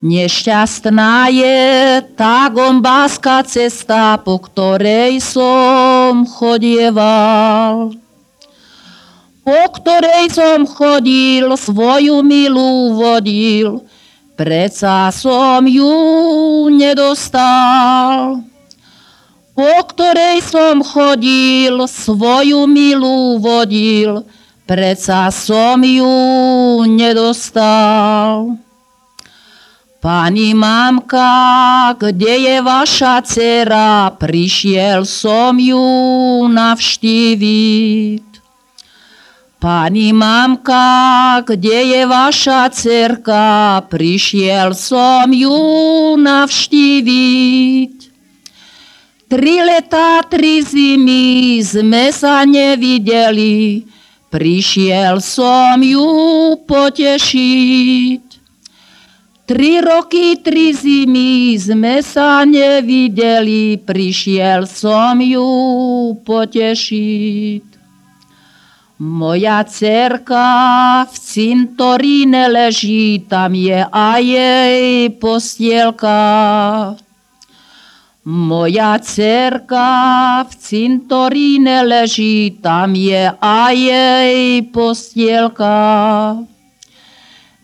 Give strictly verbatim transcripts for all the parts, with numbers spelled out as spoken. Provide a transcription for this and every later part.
Nešťastná je tá gombáská cesta, po ktorej som chodieval. Po ktorej som chodil, svoju milú vodil, preca som ju nedostal. Po ktorej som chodil, svoju milú vodil, preca som ju nedostal. Pani mamka, kde je vaša dcera? Prišiel som ju navštíviť. Pani mamka, kde je vaša dcerka? Prišiel som ju navštíviť. Tri letá, tri zimy sme sa nevideli, prišiel som ju potešiť. Tri roky, tri zimy sme sa nevideli, prišiel som ju potešiť. Moja dcerka v cintoríne leží, tam je aj jej postielka. Moja dcerka v cintoríne leží, tam je aj jej postielka.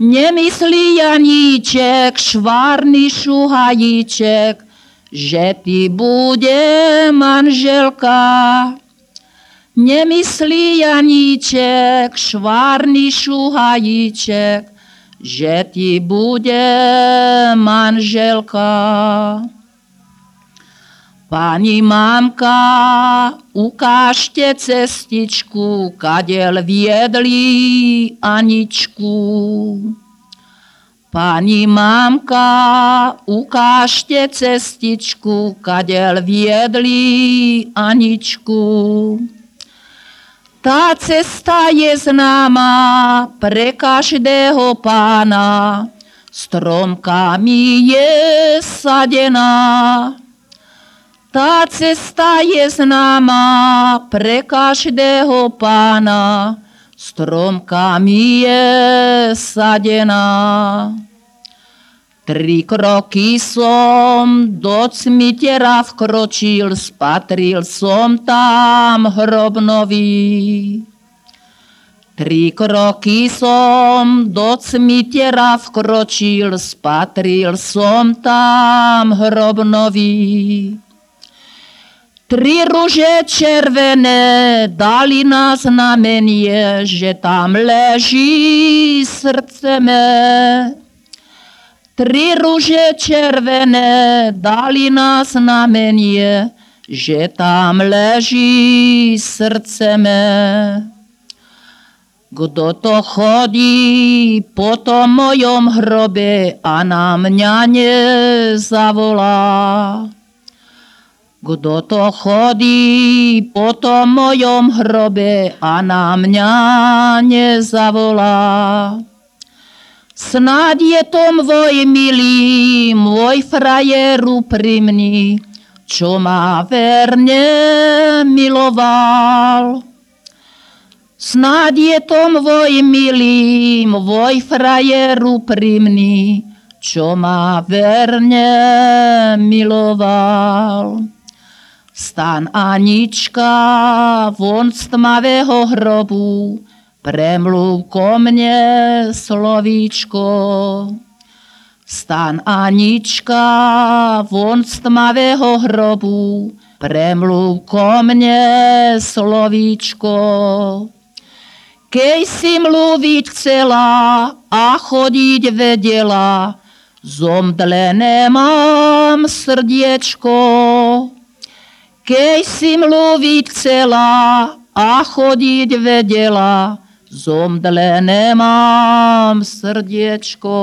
Nemyslí Janíček, švárny šuhajíček, že ty bude manželka. Nemyslí Janíček, švárny šuhajíček, že ty bude manželka. Pani mamka, ukážte cestičku, kadeľ viedli Aničku. Pani mamka, ukážte cestičku, kadeľ viedli Aničku. Tá cesta je známa pre každého pána, stromkami je sadená. Tá cesta je známa pre každého pána, stromkami je sadená. Tri kroky som do cmitera vkročil, spatril som tam hrob nový. Tri kroky som do cmitera vkročil, spatril som tam hrob nový. Tri ruže červené dali na znamenie, že tam leží srdce mé. Tri ruže červené dali na znamenie, že tam leží srdce mé. Kto to chodí po tom mojom hrobe a na mňa nezavolá? Kto to chodí po tom mojom hrobe a na mňa nezavolá? Snáď je to môj milý, môj frajer úprimný, čo ma verne miloval. Snáď je to môj milý, môj frajer úprimný, čo ma verne miloval. Stan Anička von z tmavého hrobu, premluv ko mne slovíčko. Stan Anička von z tmavého hrobu, premluv ko mne slovíčko. Keď si mluviť chcela a chodiť vedela, zomdlené mám srdiečko. Keď si mluviť chcela a chodiť vedela, zomdlené mám srdiečko.